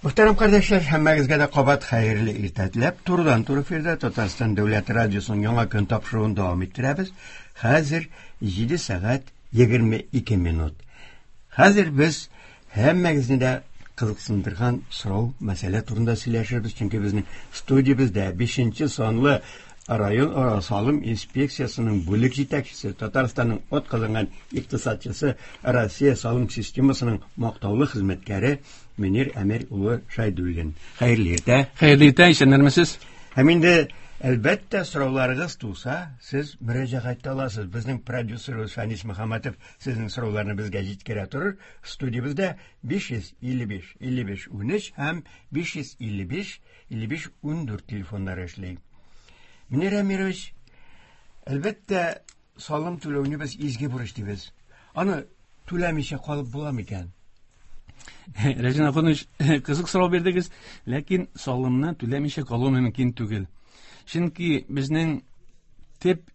Мөхтәрәм кардәшләр, һәммәгезгә дә кабат хәерле иртә теләп, турыдан-туры эфирда Татарстан дәүләт радиосының яңа көн тапшыруын дәвам иттерәбез. Хәзер 7 сәгать 22 минут. Хәзер без һәммәгезне дә кызыксындырган сорау, мәсьәлә турында сөйләшербез, чөнки безнең студиябездә 5 санлы район ара салым инспекциясенең бүлек җитәкчесе, Татарстанның атказанган икътисадчысы, Россия салым системасының мактаулы хезмәткәре Мөнир Әмир улы Шайдуллин. Хәерле иртә. Хәерле иртә, исәннәрмесез? Һәм инде әлбәттә сорауларыгыз туса, сез мөрәҗәгать итә аласыз. Безнең продюсерыбыз Фәнис Мөхәммәтов сезнең сорауларны безгә җиткерә торыр. Студиябездә 555 55 13 һәм 555 55 14 телефоннары эшли. Мөнир Әмирович, әлбәттә, салым түләүне без изге бурыч дибез. Аны түләмичә калып була микән? Рәҗин Ахунович, кызык сорау бирдегез, ләкин салымны түләмичә калу мөмкин түгел. Чөнки безнең төп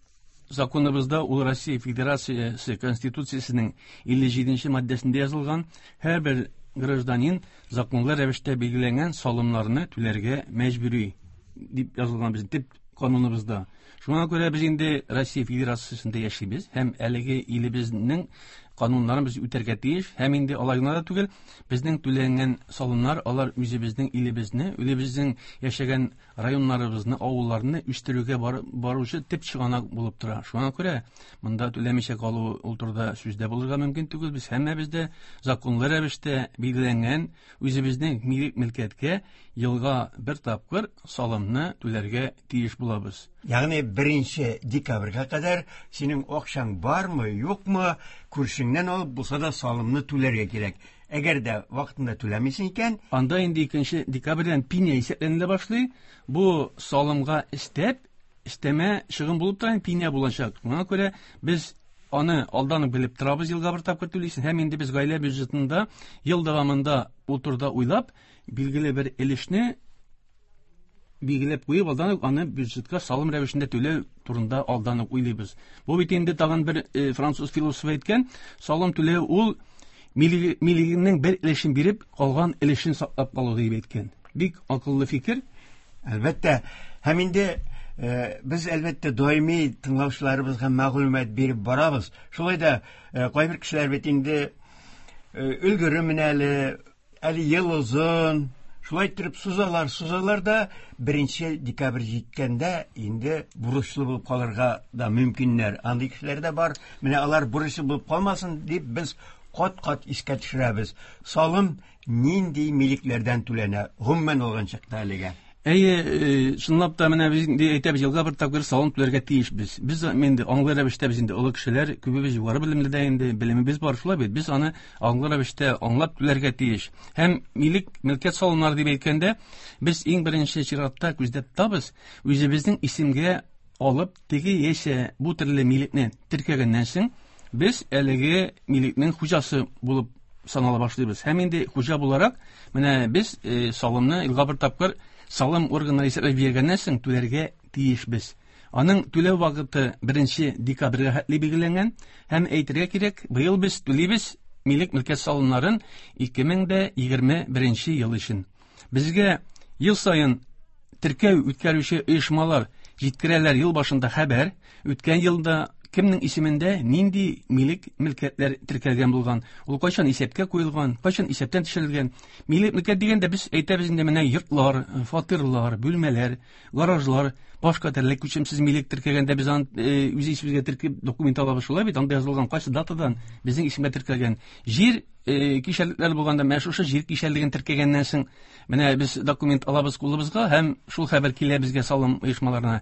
законыбызда ул Россия Федерациясе Конституциясенең 57 маддәсендә язылган, һәрбер гражданин законлы рәвештә билгеләнгән салымнарны түләргә мәҗбүри дип язылган безнең төп кануныбызда. Шуңа күрә без инде Россия Федерациясендә яшибез һәм әлеге илебезнең кануннарын без үтәргә тиеш һәм инде алай гына да түгел, безнең түләнгән салымнар алар үзебезнең илебезне, үзебезнең яшәгән районнарыбызны, авылларны үстерүгә баручы төп чыганак булып тора. Шуңа күрә монда түләмичә калу ул турыда сүз дә булырга мөмкин түгел. Без һәммәбез дә законлы рәвештә билгеләнгән үзебезнең милек мөлкәткә елга бер тапкыр салымны түләргә тиеш булабыз. Ягъни 1 декабрьгә кадәр синең акчаң бармы, юкмы, күршеңнән алып булса да салымны түләргә кирәк. Әгәр дә вакытында түләмисең икән, анда инде 2 декабрьдән пеня исәпләнелә башлый. Бу салымга өстәп, өстәмә чыгым булып тора, пеня булачак. Шуңа күрә без аны алдан ук белеп торабыз, елга бер тапкыр түлисең. Һәм инде без гаилә бюджетында ел дәвамында ул турыда уйлап, билгеле бер өлешне билгеләп куеп, алдан ук аны бюджетка салым рәвешендә түләү турында алдан ук уйлыйбыз. Бу бит инде тагын бер француз философы әйткән, салым түләү ул милегеңнең бер өлешен биреп, калган өлешен саклап калу дип әйткән. Бик акыллы фикер. Әлбәттә. Һәм инде без әлбәттә даими тыңлаучыларыбызга мәгълүмат биреп барабыз. Шулай да кайбер кешеләр бит инде өлгеремен әле, әле ел озын, шулай иттереп сузалар, сузалар да 1 декабрь җиткәндә инде бурычлы булып калырга да мөмкиннәр. Андый кешеләр дә бар. Менә алар бурычлы булып калмасын дип без кат-кат искә төшерәбез. Салым нинди милекләрдән түләнә? Гомумән алган чакта әлегә. Әйе, чынлап та менә без инде әйтәбез, елга бер тапкыр салым түләргә тиешбез. Без инде аңлы рәвештә без инде олы кешеләр, күбебез югары белемле дә инде, белемебез бар, шулай бит. Без аны аңлы рәвештә аңлап түләргә тиеш. Һәм милек, мөлкәт салымнары дип әйткәндә, без иң беренче чиратта күздә тотабыз, үзебезнең исемгә алып, теге яисә бу төрле милекне теркәгәннән соң, без әлеге милекнең хуҗасы булып санала башлыйбыз. Һәм инде хуҗа буларак, менә без салымны елга бер тапкыр салым органнары исәпләп биргәннән соң түләргә тиешбез. Аның түләү вакыты 1 декабрьгә хәтле билгеләнгән һәм әйтергә кирәк, быел без түлибез милек мөлкәт салымнарын 2021 ел өчен. Безгә ел саен теркәү үткәрүче оешмалар җиткерәләр ел башында хәбәр, үткән елда кемнең исемендә нинди милек мөлкәтләр теркәлгән булган, ул кайчан исәпкә куелган, кайчан исәптән төшерелгән. Милек мөлкәт дигәндә без әйтәбез инде менә йортлар, фатирлар, бүлмәләр, гаражлар, башка төрле күчемсез милек теркәгәндә без аны үз исемебезгә теркәп документ алабыз, шулай бит, анда язылган кайсы датадан безнең исемгә теркәлгән. Җир кишәрлекләр булганда менә шушы җир кишәрлеген теркәгәннән соң менә без документ алабыз кулыбызга һәм шул хәбәр килә безгә салым оешмаларына.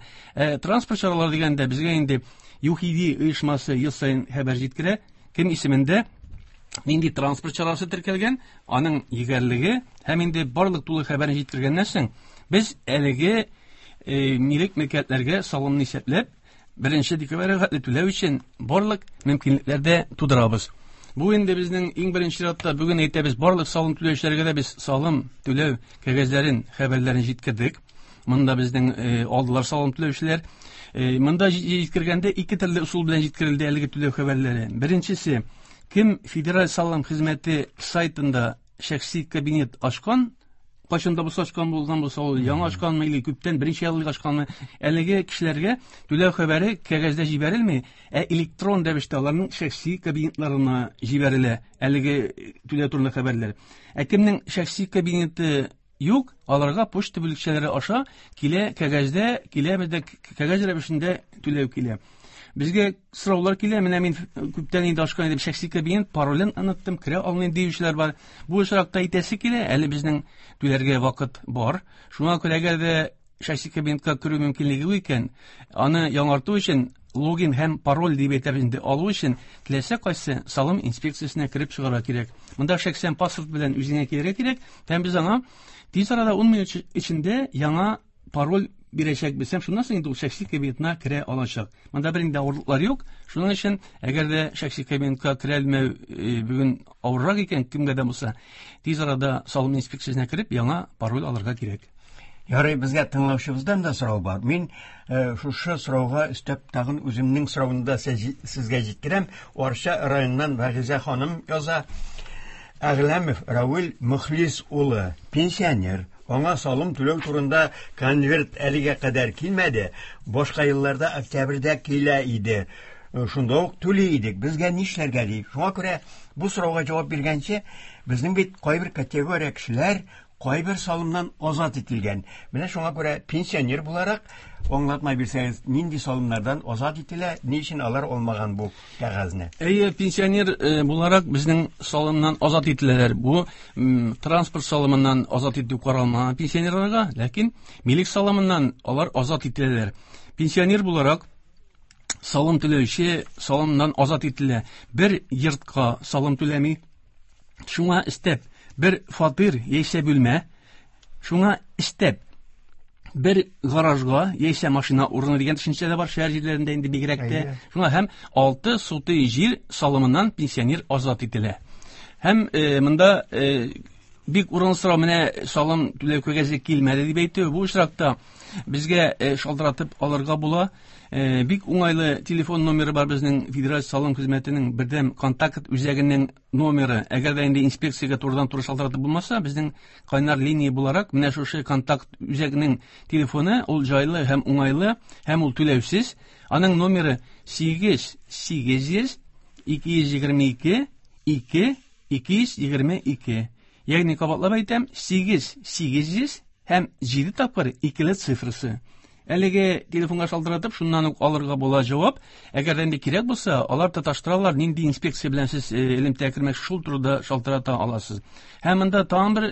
Транспорт чаралары дигәндә безгә инде ЮХИДИ оешмасы ел саен хәбәр җиткерә, кем исемендә нинди транспорт чарасы теркәлгән, аның егәрлеге һәм инде барлык тулы хәбәрне җиткергәннән соң без әлеге милек мөлкәтләргә салымны исәпләп 1 декабрьгә хәтле түләү өчен барлык мөмкинлекләр дә тудырабыз. Бу инде безнең иң беренче чиратта бүген әйтәбез, барлык салым түләүчеләргә дә без салым түләү кәгазьләрен, хәбәрләрен җиткердек. Монда безнең алдылар салым түләүчеләр. Монда җиткергәндә ике төрле ысул белән җиткерелде әлеге түләү хәбәрләре. Беренчесе, кем Федераль салым хезмәте сайтында шәхси кабинет ачкан, Кайчан да булса ачкан булган булса, ул яңа ачканмы или күптән берничә ел элек ачканмы, әлеге кешеләргә түләү хәбәре кәгазьдә җибәрелми, ә электрон рәвештә аларның шәхси кабинетларына җибәрелә әлеге түләү турында хәбәрләр. Ә кемнең шәхси кабинеты юк, аларга почта бүлекчәләре аша килә, кәгазьдә килә, бездә кәгазь рәвешендә түләү килә. Безгә сораулар килә, менә мин күптән инде ачкан идем шәхси кабинет, паролен оныттым, керә алмыйм диючеләр бар. Бу очракта әйтәсе килә, әле безнең түләргә вакыт бар. Шуңа күрә әгәр дә шәхси кабинетка керү мөмкинлеге юк икән, аны яңарту өчен логин һәм пароль дип әйтәбез инде, алу өчен теләсә кайсы салым инспекциясенә кереп чыгарга кирәк. Монда шәхсән паспорт белән үзеңә килергә кирәк, һәм без аңа тиз арада 10 минут эчендә яңа пароль бирәчәкбез. Һәм шуннан соң инде ул шәхси кабинетына керә алачак. Монда бернинди авырлыклар юк. Шуның өчен, әгәр дә шәхси кабинетка керә алмау бүген авыррак икән, кемгә дә булса, тиз арада салым инспекциясенә кереп, яңа пароль алырга кирәк. Ярый, безгә тыңлаучыбыздан да сорау бар. Мин шушы сорауга өстәп тагын үземнең соравымны да сезгә җиткерәм. Арча районыннан Вәгизә ханым яза. Әгъләмов Равил Мөхлис улы, пенсионер. Аңа салым түләү турында конверт әлегә кадәр килмәде. Башка елларда октябрьдә килә иде. Шунда ук түли идек. Безгә нишләргә ди. Шуңа күрә бу сорауга җавап биргәнче, безнең бит кайбер категория кешеләр кайбер салымнан азат ителгән. Менә шуңа күрә пенсионер буларак аңлатма бирсәгез, нинди салымнардан азат ителә, ни өчен алар алмаган бу кәгазьне? Әйе, пенсионер буларак безнең салымнан азат ителәләр. Бу транспорт салымыннан азат итү каралмаган пенсионерларга, ләкин милек салымыннан алар азат ителәләр. Пенсионер буларак салым түләүче салымнан азат ителә. Бер йортка салым түләми. Шуңа өстәп бер фатир яисә бүлмә, шуңа өстәп бер гаражга яисә машина урыны дигән төшенчә дә бар шәһәр җирләрендә инде бигрәк тә. Шуңа һәм 6 сутый җир салымыннан пенсионер азат ителә. Һәм монда бик урынлы сорау, менә салым түләү кәгазе килмәде дип әйтү. Бу очракта безгә шалтыратып алырга була. Бик уңайлы телефон номеры бар безнең Федераль салым хезмәтенең бердәм контакт үзәгенең номеры. Әгәр дә инде инспекциягә турыдан-туры шалтыратып булмаса, безнең кайнар линия буларак менә шушы контакт үзәгенең телефоны, ул җайлы һәм уңайлы, һәм ул түләүсез. Аның номеры 8 800 222 2 222. Ягъни кабатлап әйтәм, 8 800 һәм 7 тапкыр икеле цифрасы. Әлеге телефонга шалтыратып, шуннан ук алырга була җавап. Әгәр дә инде кирәк булса, алар тоташтыралар, нинди инспекция белән сез элемтәгә кермәкче, шул турыда шалтырата аласыз. Һәм монда тагын бер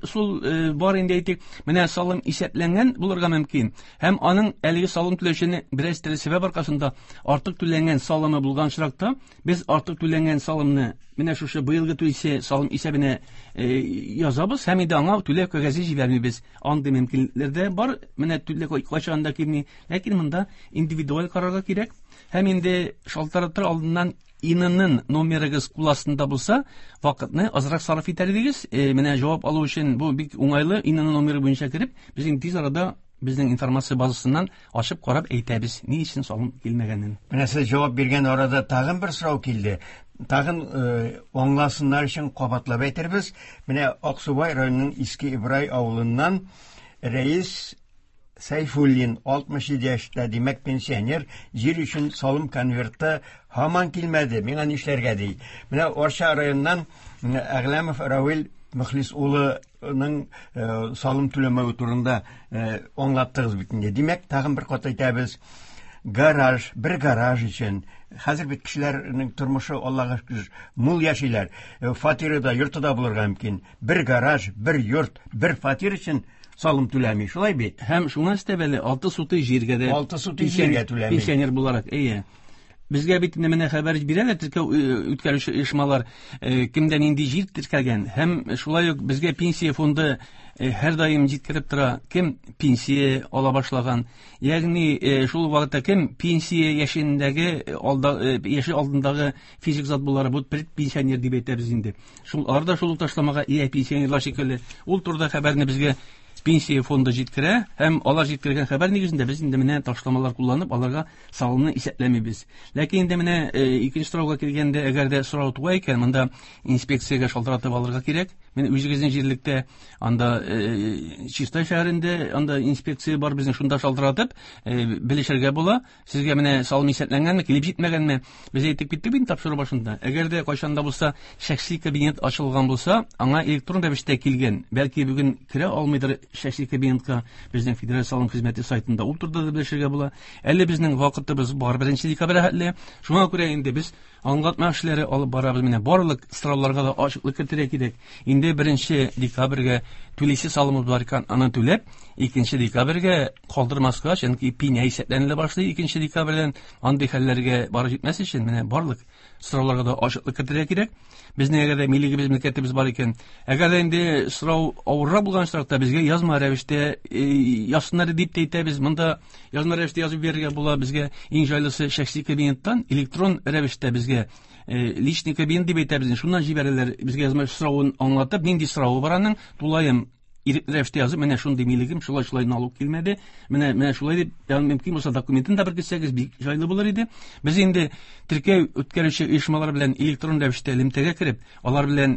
ысул бар инде әйтик, менә салым исәпләнгән булырга мөмкин. Һәм аның әлеге салым түләүчене бераз төрле сәбәп аркасында артык түләнгән салымы булган очракта, без артык түләнгән салымны менә шушы быелгы түлисе салым исәбенә язабыз һәм инде аңа түләү кәгазе җибәрмибез. Андый мөмкинлекләр дә бар. Менә түләү кайчан да килми. Ләкин монда индивидуаль карарга кирәк. Һәм инде шалтыратыр алдыннан ИНН номерыгыз кул астында булса, вакытны азрак сарыф итәр идегез. Менә җавап алу өчен бу бик уңайлы. ИНН номеры буенча кереп, без инде тиз арада безнең информация базасыннан ачып карап әйтәбез, ни өчен салым килмәгәнен. Менә сез җавап биргән арада тагын бер сорау килде. Тагын аңласыннар өчен кабатлап әйтербез. Менә Аксубай районының Иске Ибрай авылыннан Рәис Сайфуллин, 67 яшьтә, димәк пенсионер, җир өчен салым конверты һаман килмәде, миңа нишләргә ди. Менә Арча районыннан Әгъләмов Равил Мөхлис улының салым түләмәве турында аңлаттыгыз бит инде. Димәк, тагын бер кат әйтәбез. Гараж, бер гараж өчен. Хәзер бит кешеләрнең тормышы, Аллага шөкер, мул яшиләр. Фатиры да, йорты да булырга мөмкин. Бер гараж, бер йорт, бер фатир өчен салым түләми, шулай бит? Һәм шуңа өстәп әле 6 сутый җиргә дә 6 сутый җиргә түләми. Пенсионер буларак, әйе. Безгә бит инде менә хәбәр бирәләр теркәү үткәрүче оешмалар, кемдә нинди җир теркәлгән. Һәм шулай ук безгә пенсия фонды һәрдаим җиткереп тора, кем пенсия ала башлаган. Ягъни шул вакытта кем пенсия яшендәге алда, яше алдындагы физик зат буларак, бу предпенсионер дип әйтәбез инде. Шул алар да шул ук ташламага ия пенсионерлар шикелле. Ул турыда хәбәрне безгә пенсия фонды җиткерә һәм алар җиткергән хәбәр нигезендә без инде менә ташламалар кулланып аларга салымны исәпләмибез. Ләкин инде менә икенче сорауга килгәндә, әгәр дә сорау туа икән, монда инспекциягә шалтыратып алырга кирәк. Менә үзегезнең җирлектә анда Чистай шәһәрендә анда инспекция бар безнең, шунда шалтыратып белешергә була. Сезгә менә салым исәпләнгәнме, килеп җитмәгәнме? Без әйтеп киттек бит тапшыру башында. Әгәр дә кайчан да булса шәхси кабинет ачылган булса, аңа электрон рәвештә килгән. Бәлки бүген керә алмыйдыр шәхси кабинетка, безнең Федераль салым хезмәте сайтында ул турыда да белешергә була. Әле безнең вакытыбыз бар 1 декабрь хәтле. Шуңа күрә инде без аңлатма эшләре алып барабыз. Менә барлык сорауларга да ачыклык кертергә кирәк. Инде 1 декабрьгә түлисе салымыбыз бар икән, аны түләп, 2 декабрьгә калдырмаска, чөнки пеня исәпләнелә башлый 2 декабрьдән. Андый хәлләргә барып җитмәс өчен менә барлык сорауларга да ачыклык кертергә кирәк. Безнең әгәр дә милегебез, мөлкәтебез бар икән, әгәр дә инде сорау авыррак булган очракта безгә язма рәвештә язсыннар дип тә әйтәбез. Монда язма рәвештә язып бирергә була. Безгә иң җайлысы шәхси кабинеттан электрон рәвештә безгә личный кабинет дип әйтәбез. Шуннан җибәрәләр безгә язма соравын аңлатып, нинди соравы бар аның, тулаем ирекле рәвештә язып, менә шундый милегем, шулай-шулай налог килмәде, менә шулай дип, ягъни мөмкин булса документын да беркетсәгез, бик җайлы булыр иде. Без инде теркәү үткәрүче оешмалар белән электрон рәвештә элемтәгә кереп, алар белән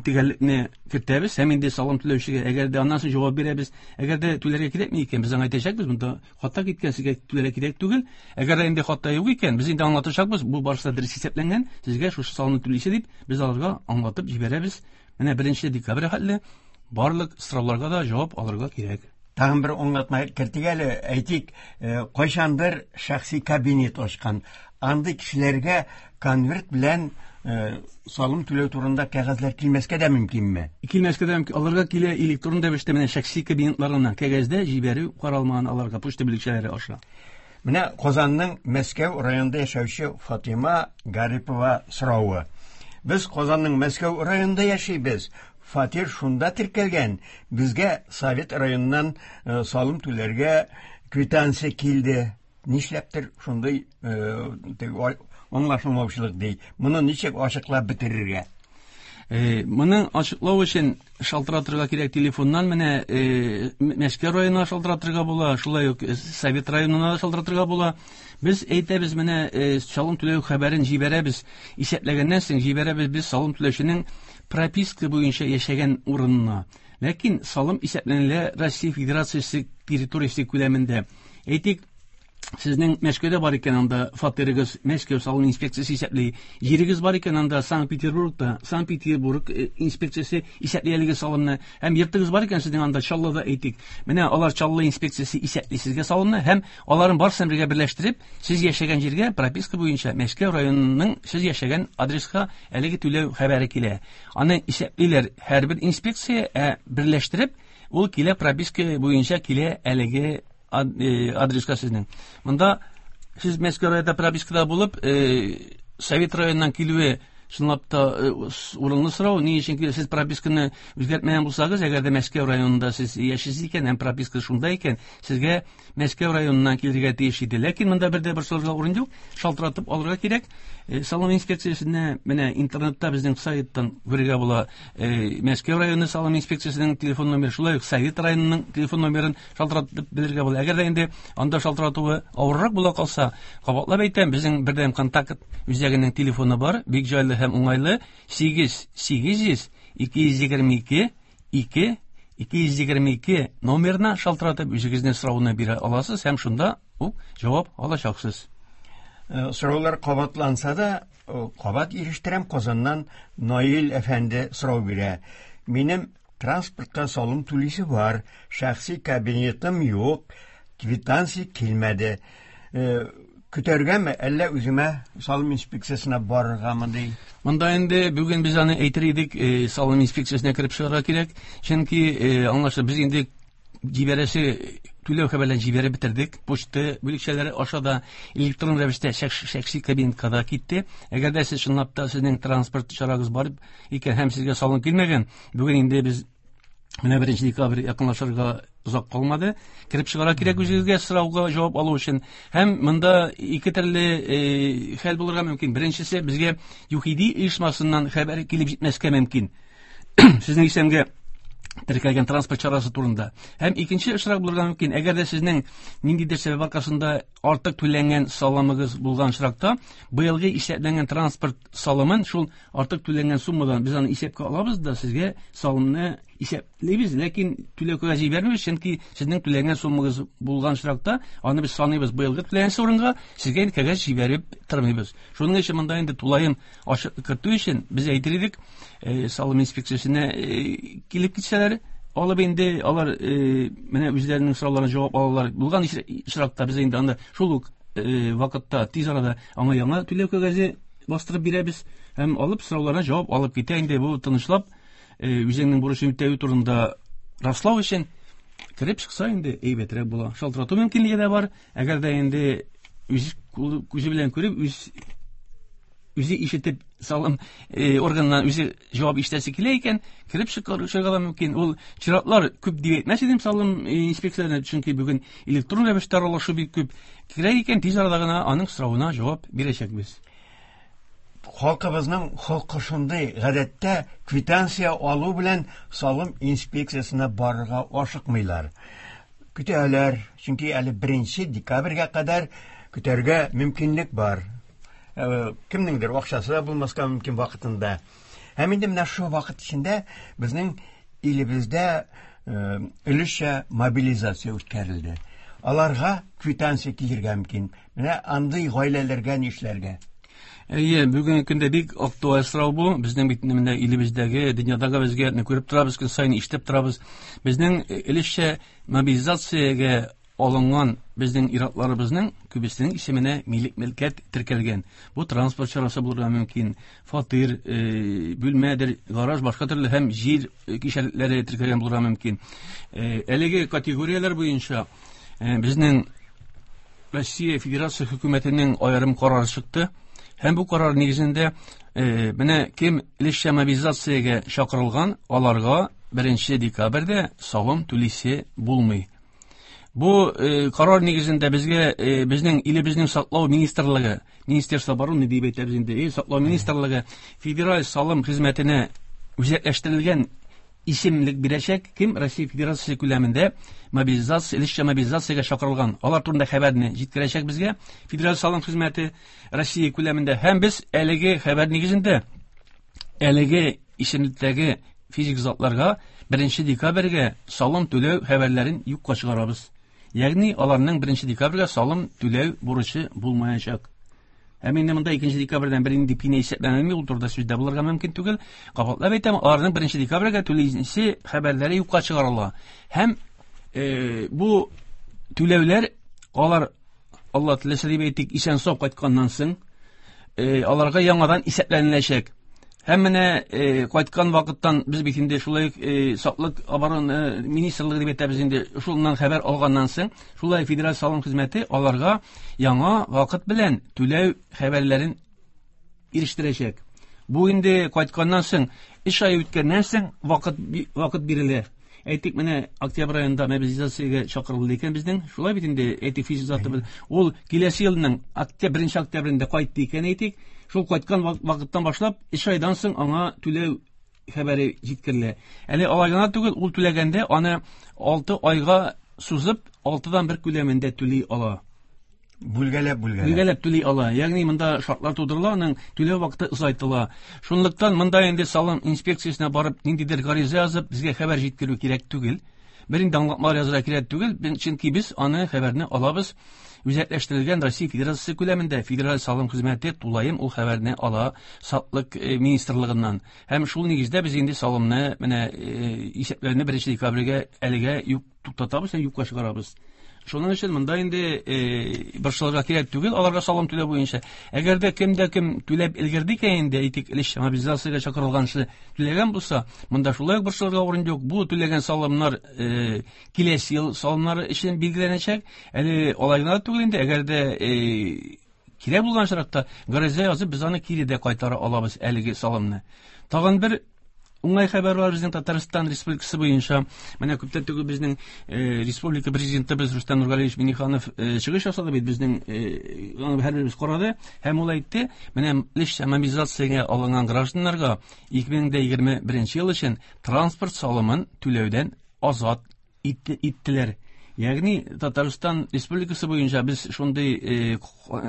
төгәллекне кертәбез һәм инде салым түләүчегә әгәр дә аннан соң җавап бирәбез. Әгәр дә түләргә кирәкми икән, без аңа әйтәчәкбез, монда хата киткән, сезгә түләргә кирәк түгел. Әгәр дә инде хата юк икән, без инде аңлатачакбыз, бу барысы да дөрес исәпләнгән, сезгә шушы салымны түлисе дип, без аларга аңлатып җибәрәбез. Менә 1 декабрь хәтле барлык сорауларга да җавап алырга кирәк. Тагын бер аңлатма кертик әле, әйтик, кайчандыр шәхси кабинет ачкан. Андый кешеләргә конверт белән салым түләү турында кәгазьләр килмәскә дә мөмкинме? Килмәскә дә мөмкин. Аларга килә электрон рәвештә менә шәхси кабинетларына кәгазьдә җибәрү каралмаган аларга почта бүлекчәләре аша. Менә Казанның Мәскәү районында яшәүче Фатима Гарипова соравы. Без Казанның Мәскәү районында яшибез. Фатир шунда теркәлгән. Безгә Совет районыннан салым түләргә квитанция килде. Нишләптер шундый аңлашылмаучылык ди. Моны ничек ачыклап бетерергә? Моны ачыклау өчен шалтыратырга кирәк телефоннан. Менә Мәскәү районына шалтыратырга була, шулай ук Совет районына шалтыратырга була. Без әйтәбез, менә салым түләү хәбәрен җибәрәбез. Исәпләгәннән соң җибәрәбез без салым түләүченең прописка буенча яшәгән урынына. Ләкин салым исәпләнелә Россия Федерациясе территориясе күләмендә. Әйтик, сезнең Мәскәүдә бар икән, анда фатирыгыз Мәскәү салым инспекциясе исәпли. Җирегез бар икән, анда Санкт-Петербургта Санкт-Петербург инспекциясе исәпли әлеге салымны. Һәм йортыгыз бар икән сезнең анда Чаллыда, әйтик. Менә алар Чаллы инспекциясе исәпли сезгә салымны һәм аларын барысын бергә берләштереп, сез яшәгән җиргә прописка буенча Мәскәү районының сез яшәгән адреска әлеге түләү хәбәре килә. Аны исәплиләр һәрбер инспекция, ә берләштереп ул килә прописка буенча килә әлеге адреска сезнең. Монда сез Мәскәү районында пропискада булып, Совет районыннан килүе чынлап та урынлы сорау. Ни өчен килә? Сез прописканы үзгәртмәгән булсагыз, әгәр дә Мәскәү районында сез яшисез икән, һәм прописка шунда икән, сезгә Мәскәү районыннан килергә тиеш иде. Ләкин монда бер дә бер сорарга урын юк, шалтыратып алырга кирәк. Салым инспекциясенә менә интернетта безнең сайттан күрергә була. Мәскәү районы салым инспекциясенең телефон номеры, шулай ук Совет районының телефон номерын шалтыратып белергә була. Әгәр дә инде анда шалтыратуы авыррак була калса, кабатлап әйтәм, безнең бердәм контакт үзәгенең телефоны бар, бик җайлы һәм уңайлы. 8 800 222 2 222 номерына шалтыратып үзегезнең сорауны бирә аласыз һәм шунда ук җавап алачаксыз. Сораулар кабатланса да, кабат ирештерәм. Казаннан Наил әфәнде сорау бирә. Минем транспортка салым түлисе бар, шәхси кабинетым юк, квитанция килмәде. Көтәргәме, әллә үземә салым инспекциясенә барыргамы ди? Монда инде бүген без аны әйтер идек, салым инспекциясенә кереп чыгарга кирәк. Чөнки аңлашыла, без инде җибәрәсе түләү хәбәрләрен җибәреп бетердек. Почта бүлекчәләре аша да электрон рәвештә шәхси кабинетка да китте. Әгәр дә сез чынлап та сезнең транспорт чарагыз бар икән һәм сезгә салым килмәгән, бүген инде без менә 1 декабрь якынлашырга озак калмады. Кереп чыгарга кирәк үзегезгә сорауга җавап алу өчен. Һәм монда ике төрле хәл булырга мөмкин. Беренчесе, безгә ЮХИДИ оешмасыннан хәбәр килеп җитмәскә мөмкин. Сезнең исемгә Теркәлгән транспорт чарасы турында. Һәм икенче очрак булырга мөмкин, әгәр дә сезнең ниндидер сәбәп аркасында артык түләнгән салымыгыз булган очракта, быелгы исәпләнгән транспорт салымын шул артык түләнгән суммадан без аны исәпкә алабыз да сезгә салымны исәплибез, ләкин түләү кәгазе җибәрмибез, чөнки сезнең түләнгән суммагыз булган очракта аны без саныйбыз быелгы түләгән урынга, сезгә инде кәгазь җибәреп тормыйбыз. Шуның өчен монда инде тулаем ачыклык кертү өчен без әйтер идек, салым инспекциясенә килеп китсәләр, алып инде алар менә үзләренең сорауларына җавап алалар. Булган очракта без инде анда шул ук вакытта тиз арада аңа яңа түләү кәгазе бастырып бирәбез һәм алып сорауларына җавап алып китә. Инде бу тынычлап үзеңнең бурычын үтәү турында раслау өчен кереп чыкса инде әйбәтрәк була. Шалтырату мөмкинлеге дә бар. Әгәр дә инде үз күзе белән күреп, үз үзе ишетеп салым органыннан үзе җавап ишетәсе килә икән, кереп чыгарга да мөмкин. Ул чиратлар күп дип әйтмәс идем салым инспекцияләренә, чөнки бүген электрон рәвештә аралашу бик күп. Керә икән, тиз арада гына аның соравына җавап бирәчәкбез. Халкыбызның холкы шундый, гадәттә квитанция алу белән салым инспекциясенә барырга ашыкмыйлар. Көтәләр, чөнки әле 1 декабрьгә кадәр көтәргә мөмкинлек бар. Кемнеңдер акчасы да булмаска мөмкин вакытында. Һәм инде менә шул вакыт эчендә безнең илебездә өлешчә мобилизация үткәрелде. Аларга квитанция килергә мөмкин. Менә андый гаиләләргә нишләргә? Әйе, бүгенге көндә бик актуаль сорау бу. Безнең бит менә илебездәге, дөньядагы вазгыятьне күреп торабыз, көн саен ишетеп торабыз. Безнең өлешчә мобилизациягә алынган безнең иратларыбызның күбесенең исеменә милек мөлкәт теркәлгән. Бу транспорт чарасы булырга мөмкин, фатир, бүлмәдер, гараж, башка төрле һәм җир кишәрлекләре теркәлгән булырга мөмкин. Әлеге категорияләр буенча безнең Россия Федерация хөкүмәтенең аерым карары чыкты. Һәм бу карар нигезендә менә кем өлешчә мобилизациягә чакырылган, аларга 1 декабрьдә салым түлисе булмый. Бу карар нигезендә безгә безнең илебезнең саклау министрлыгы, Министерство обороны дип әйтәбез инде, саклау министрлыгы федераль салым хезмәтенә үзәкләштерелгән исемлек бирәчәк, кем Россия Федерациясе күләмендә мобилизация, өлешчә мобилизациягә чакырылган. Алар турында хәбәрне җиткерәчәк безгә Федераль салым хезмәте Россия күләмендә. Һәм без әлеге хәбәр нигезендә әлеге исемлектәге физик затларга 1 декабрьгә салым түләү хәбәрләрен юкка чыгарабыз. Ягъни аларның 1 декабрьгә салым түләү бурычы булмаячак. Һәм инде монда 2 декабрьдән бернинди пеня исәпләнелми, ул турыда сүз дә булырга мөмкин түгел. Кабатлап әйтәм, аларның 1 декабрьгә түлисе хәбәрләре юкка чыгарыла. Һәм бу түләүләр алар Алла теләсә дип әйтик, исән сау кайтканнан соң аларга яңадан исәпләнеләчәк. Һәм менә кайткан вакыттан без бит инде шулай саклык оборона министрлыгы дип әйтәбез инде, шуннан хәбәр алганнан соң, шулай федераль салым хезмәте аларга яңа вакыт белән түләү хәбәрләрен ирештерәчәк. Бу инде кайтканнан соң, 3 ай үткәннән соң вакыт бирелә. Әйтик, менә октябрь аенда мобилизациягә чакырылды икән безнең. Шулай бит инде, әйтик, физик заты бер. Ул киләсе елның 1 октябрендә кайтты икән, әйтик. Шул кайткан вакыттан башлап, 3 айдан соң аңа түләү хәбәре җиткерелә. Әле алай гына түгел, ул түләгәндә аны 6 айга сузып, 6-дан 1 күләмендә түли ала. Бүлгәләп, бүлгәләп. Бүлгәләп түли ала. Ягъни монда шартлар тудырыла, аның түләү вакыты озайтыла. Шунлыктан монда инде салым инспекциясенә барып ниндидер гариза язып, безгә хәбәр җиткерү кирәк түгел. Бер инде аңлатмалар язырга кирәк түгел, чөнки без аны хәбәрне алабыз. Үзәкләштерелгән Россия Федерациясе күләмендә Федераль салым хезмәте тулаем ул хәбәрне ала Саклык министрлыгыннан. Һәм шул нигездә без инде салымны менә исәпләүне 1 декабрьгә әлегә юк туктатабыз һәм юкка чыгарабыз. Шуның өчен монда инде борчылырга кирәк түгел, аларга салым түләү буенча. Әгәр дә кем дә кем түләп өлгерде икән инде, әйтик, өлешчә мобилизациягә чакырылганчы түләгән булса, монда шулай ук борчылырга урын юк. Бу түләгән салымнар киләсе ел салымнары өчен билгеләнәчәк. Әле алай гына түгел инде, әгәр дә кирәк булган очракта гариза язып без аны кире дә кайтара алабыз әлеге салымны. Тагын бер уңай хәбәр бар безнең Татарстан Республикасы буенча. Менә күптән түгел безнең республика президентыбыз Рөстәм Нургалиевич Минниханов чыгыш ясады бит безнең, аны һәрберебез карады һәм ул әйтте, менә өлешчә мобилизациягә алынган гражданнарга 2021 ел өчен транспорт салымын түләүдән азат иттеләр. Ягъни Татарстан Республикасы буенча без шундый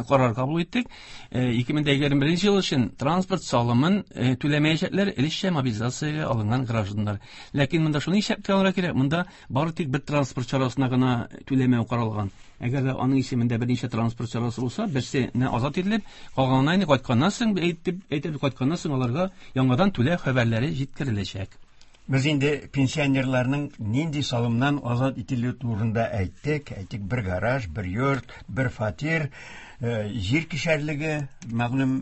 карар кабул иттек. 2021 ел өчен транспорт салымын түләмәячәкләр өлешчә мобилизациягә алынган гражданнар. Ләкин монда шуны исәпкә алырга кирәк, монда бары тик бер транспорт чарасына гына түләмәү каралган. Әгәр дә аның исемендә берничә транспорт чарасы булса, берсенә азат ителеп, калганына инде кайтканнан соң, әйтеп, кайтканнан соң аларга яңадан түләү хәбәрләре җиткереләчәк. Без инде пенсионерларның нинди салымнан азат ителү турында әйттек. Әйтик, бер гараж, бер йорт, бер фатир, җир кишәрлеге мәгълүм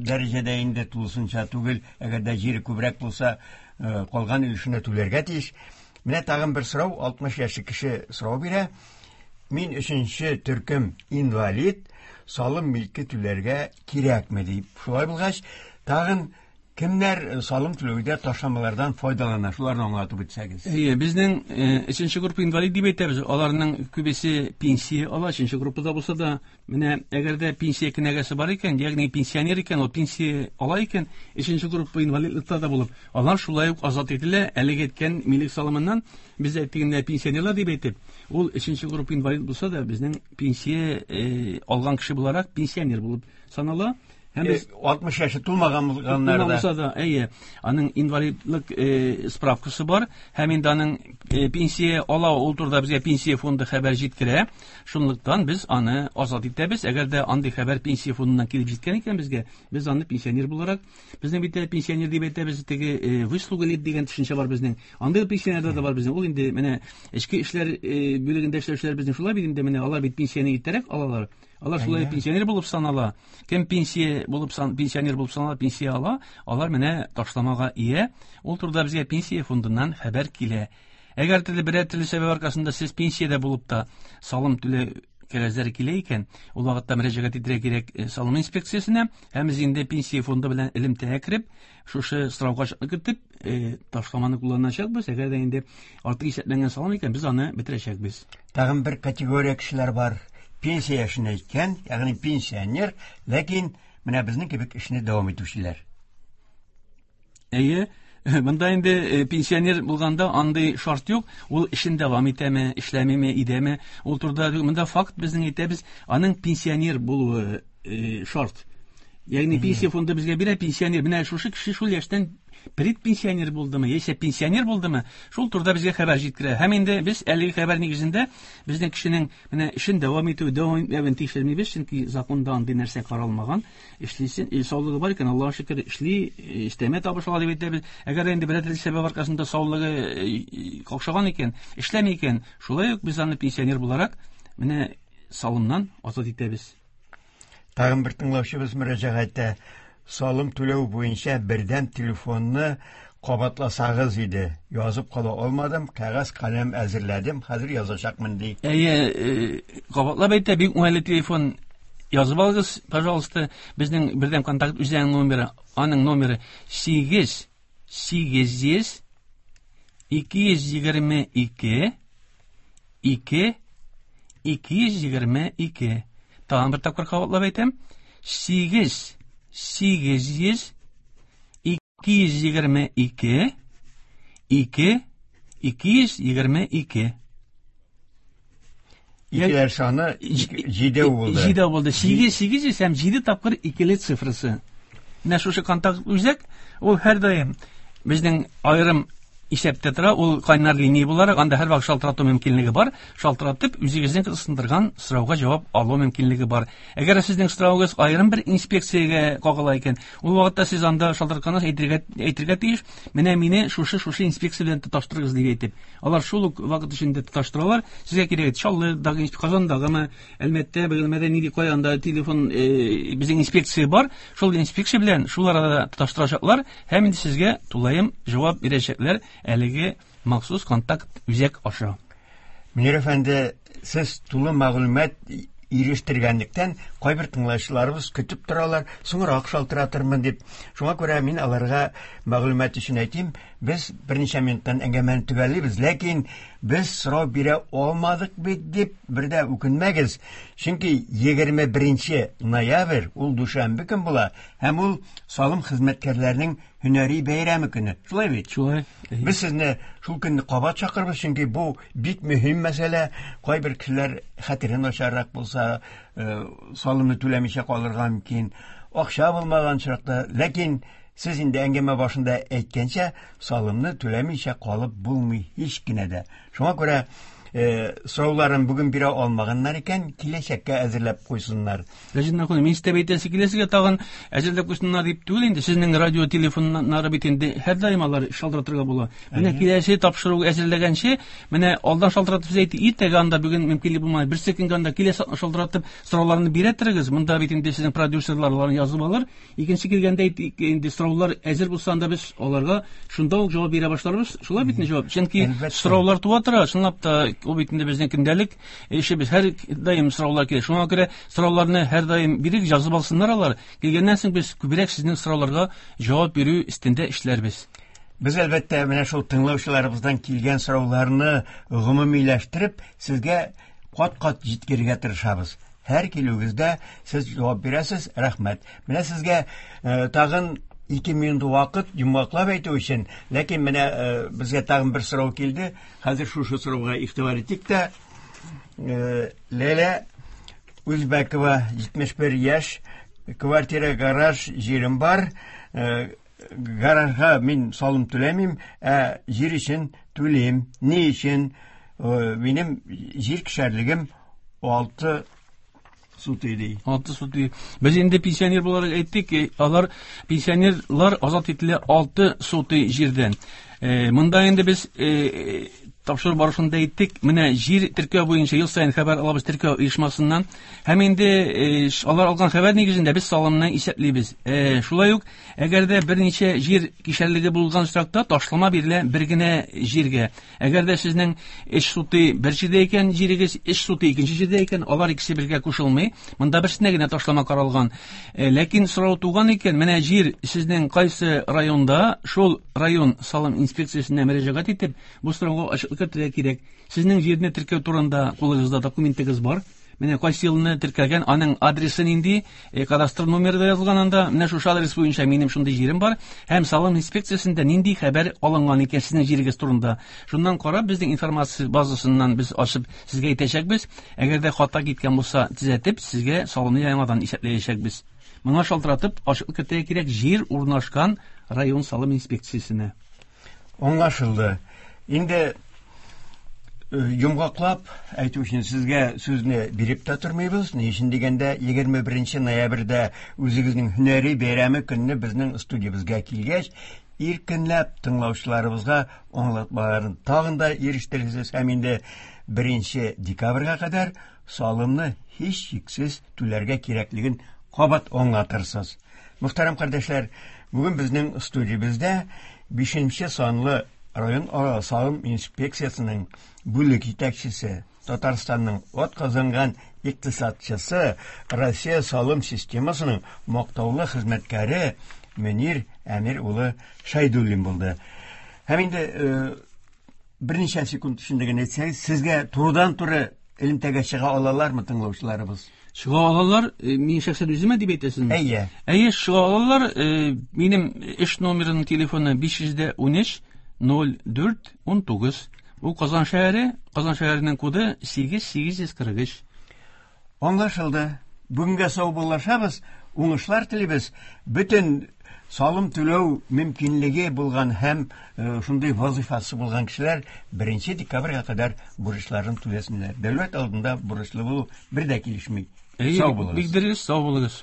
дәрәҗәдә инде тулысынча түгел, әгәр дә җире күбрәк булса, калган өлешенә түләргә тиеш. Менә тагын бер сорау, 60 яшьлек кеше сорау бирә. Мин өченче төркем инвалид, салым милке түләргә кирәкме дип. Шулай булгач, тагын кемнәр салым түләүдә ташламалардан файдалана? Шуларны аңлатып үтсәгез. Әйе, безнең өченче группа инвалид дип әйтәбез. Аларның күбесе пенсия ала, өченче группада булса да, менә әгәр дә пенсия кенәгәсе бар икән, ягъни пенсионер икән, ул пенсия ала икән, өченче группа инвалидлыкта да булып, алар шулай ук азат ителә. Әлеге әйткән милек салымыннан без әйттек инде пенсионерлар дип әйтеп, ул өченче группа инвалид булса да, безнең пенсия алган кеше буларак пенсионер булып санала. Һәм без 60 яше тулмаган булганнар да. Булса да, әйе, аның инвалидлык справкасы бар, һәм инде аның пенсия ала, ул турыда безгә пенсия фонды хәбәр җиткерә. Шунлыктан без аны азат итәбез. Әгәр дә андый хәбәр пенсия фондыннан килеп җиткән икән безгә, без аны пенсионер буларак, безнең бит пенсионер дип әйтәбез, теге выслуга лет дигән төшенчә бар безнең. Андый пенсионерлар да бар безнең. Ул инде менә эчке эшләр бүлегендә эшләүчеләр безнең шулай бит инде, менә алар бит пенсияне иртәрәк алалар. Алар шулай пенсионер булып санала. Кем пенсия булып пенсионер булып санала, пенсия ала, алар менә ташламага ия. Ул турыда безгә пенсия фондыннан хәбәр килә. Әгәр төрле берәр төрле сәбәп аркасында сез пенсиядә булып та салым түләү кәгазьләре килә икән, ул вакытта мөрәҗәгать итәргә кирәк салым инспекциясенә, һәм без инде пенсия фонды белән элемтәгә кереп, шушы сорауга кертеп, ташламаны кулланачакбыз. Әгәр дә инде артык исәпләнгән салым икән, без аны бетерәчәкбез. Тагын бер категория кешеләр бар. Пенсия яшенә җиткән, ягъни пенсионер, ләкин менә безнең кебек эшне дәвам итүчеләр. Әйе, монда инде пенсионер булганда андый шарт юк, ул эшен дәвам итәме, эшләмиме, идәме, ул турыда монда факт безнең әйтәбез, аның пенсионер булуы шарт. Ягъни пенсия фонды безгә бирә пенсионер, менә шушы кеше шул яшьтән предпенсионер булдымы, яисә пенсионер булдымы, шул турыда безгә хәбәр җиткерә. Һәм инде без әлеге хәбәр нигезендә безнең кешенең менә эшен дәвам итү, дәвам итмәвен тикшермибез, чөнки законда андый нәрсә каралмаган. Эшлисен, саулыгы бар икән, Аллаһка шөкер, эшли, өстәмә табыш ала дип әйтәбез. Әгәр инде берәр төрле сәбәп аркасында саулыгы какшаган икән, эшләми икән, шулай ук без аны пенсионер буларак менә салымнан азат итәбез. Тагын бер тыңлаучыбыз мөрәҗәгать итә. Салым түләү буенча бердәм телефонны кабатласагыз иде. Язып кала алмадым, кәгазь каләм әзерләдем, хәзер язачакмын ди. Әйе, кабатлап әйтә, бик уңайлы телефон. Язып алыгыз, пожалуйста, безнең бердәм контакт үзәгенең номеры, аның номеры 8 800 222 2 222. Тагын бер тапкыр кабатлап әйтәм. 8 800 222 2 222. Икеләр саны 7 булды. 7 булды. 8 800 һәм 7 тапкыр икеле цифрасы. Менә шушы контакт үзәк, ул һәрдаим безнең аерым исәптә тора, ул кайнар линия буларак, анда һәрвакыт шалтырату мөмкинлеге бар. Шалтыратып, үзегезнең кызыксындырган сорауга җавап алу мөмкинлеге бар. Әгәр сезнең соравыгыз аерым бер инспекциягә кагыла икән, ул вакытта сез анда шалтыратканнан әйтергә тиеш, менә мине шушы инспекция белән тоташтырыгыз дип әйтеп. Алар шул ук вакыт эчендә тоташтыралар. Сезгә кирәк Чаллыдагы, Казандагымы, Әлмәттә, Бөгелмәдә нинди кая анда телефон безнең инспекция бар. Шул инспекция белән шул арада тоташтырачаклар һәм инде сезгә тулаем җавап бирәчәкләр әлеге махсус контакт үзәк аша. Мөнир әфәнде, сез тулы мәгълүмат Ирештергәнлектән, кайбер тыңлаучыларыбыз көтеп торалар, соңрак шалтыратырмын дип. Шуңа күрә мин аларга мәгълүмат өчен әйтим, без берничә минуттан әңгәмәне төгәллибез, ләкин без сорау бирә алмадык бит дип бер дә үкенмәгез. Чөнки 21 ноябрь ул дүшәмбе көн була һәм ул салым хезмәткәрләренең һөнәри бәйрәме көне. Шулай бит? Шулай. Без сезне шул көнне кабат чакырбыз, чөнки бу бик мөһим мәсьәлә. Кайбер кешеләр хәтере начаррак булса, салымны түләмичә калырга мөмкин. Акча булмаган очракта, ләкин сез инде әңгәмә башында әйткәнчә, салымны түләмичә калып булмый һич кенә дә. Шуңа күрә сорауларын бүген бирә алмаганнар икән, киләчәккә әзерләп куйсыннар. Рәҗит Мәрхүм, мин сезгә әйтәсе килә, сезгә тагын әзерләп куйсыннар дип түгел инде, сезнең радио телефоннары бит инде һәрдаим алар шалтыратырга була. Менә киләсе тапшыру әзерләгәнче, менә алдан шалтыратып сез әйтте, иртәгә анда бүген мөмкинлек булмады, берсе көнгә анда киләсе шалтыратып сорауларны бирә торыгыз. Монда бит инде сезнең продюсерлар аларны язып алыр. Икенче килгәндә инде сораулар әзер булса, анда без аларга шунда ук җавап бирә башларбыз. Шулай бит инде җавап. Чөнки сораулар туа тора, чынлап та ул бит инде безнең көндәлек эшебез. Һәр даим сораулар килә. Шуңа күрә сорауларны һәр даим бирик, язып алсыннар алар. Килгәннән соң без күбрәк сезнең сорауларга җавап бирү өстендә эшләрбез. Без әлбәттә менә шул тыңлаучыларыбыздан килгән сорауларны гомумиләштереп, сезгә кат-кат җиткерергә тырышабыз. Һәр килүегездә сез җавап бирәсез, рәхмәт. Менә сезгә тагын 2 минут вакыт йомгаклап әйтү өчен, ләкин менә безгә тагын бер сорау килде. Хәзер шушы сорауга игътибар итик тә. Ләлә Үзбәкова, 71 яшь, квартира, гараж җирем бар. Гаражга мин салым түләмим, ә җир өчен түлим. Ни өчен? Минем җир кишәрлегем 6 сутый ди. 6 сутый. Без инде пенсионер буларак әйттек, алар пенсионерлар азат ителә 6 сутый җирдән. Монда инде без тапшыру барышында әйттек, менә җир теркәү буенча ел саен хәбәр алабыз теркәү оешмасыннан. Һәм инде алар алган хәбәр нигезендә без салымны исәплибез. Шулай ук, әгәр дә берничә җир кишәрлеге булган очракта ташлама бирелә бер генә җиргә. Әгәр дә сезнең эш суты бер җирдә икән, җирегез эш суты икенче җирдә икән, алар икесе бергә кушылмый. Монда берсенә генә ташлама каралган. Ләкин сорау туган икән, менә җир сезнең кайсы районда, шул район салым инспекциясенә мөрәҗәгать итеп, бу сорауга ачыклык кертергә кирәк. Сезнең җирне теркәү турында кулыгызда документыгыз бар. Менә кайсы елны теркәлгән, аның адресы нинди, кадастр номеры да язылган анда. Менә шушы адрес буенча минем шундый җирем бар. Һәм салым инспекциясендә нинди хәбәр алынган икән сезнең җирегез турында. Шуннан карап, безнең информация базасыннан без ачып сезгә әйтәчәкбез. Әгәр дә хата киткән булса, төзәтеп, сезгә салымны яңадан исәпләячәкбез. Моңа шалтыратып, ачыклык кертергә кирәк җир урнашкан район салым инспекциясенә. Аңлашылды. Инде йомгаклап әйтү өчен сезгә сүзне биреп тә тормыйбыз. Ни өчен дигәндә, 21 ноябрьдә үзегезнең һөнәри бәйрәме көнне безнең студиябезгә килгәч, иркенләп тыңлаучыларыбызга аңлатмаларын тагын да ирештерерсез һәм инде 1 декабрьгә кадәр салымны һичшиксез түләргә кирәклеген кабат аңлатырсыз. Мөхтәрәм кардәшләр, бүген безнең студиябездә 5 санлы район ара салым инспекциясенең бүлек җитәкчесе, Татарстанның атказанган икътисадчысы, Россия салым системасының мактаулы хезмәткәре Мөнир Әмир улы Шәйдуллин булды. Һәм инде берничә секунд эчендә генә әйтсәгез, сезгә турыдан-туры элемтәгә чыга алалармы тыңлаучыларыбыз? Чыга алалар, мин шәхсән үземә дип әйтәсезме? Әйе. Әйе, чыга алалар. Минем эш номерының телефоны 513 04 19. Бу Казан шәһәре, Казан шәһәренең коды 8843. Аңлашылды. Бүгенгә саубуллашабыз, уңышлар телибез. Бөтен салым түләү мөмкинлеге булган һәм шундый вазифасы булган кешеләр 1 декабрьгә кадәр бурычларын түләсеннәр. Дәүләт алдында бурычлы булу бер дә килешми. Әйе, Сау булыгыз. Бик дөрес, сау булыгыз.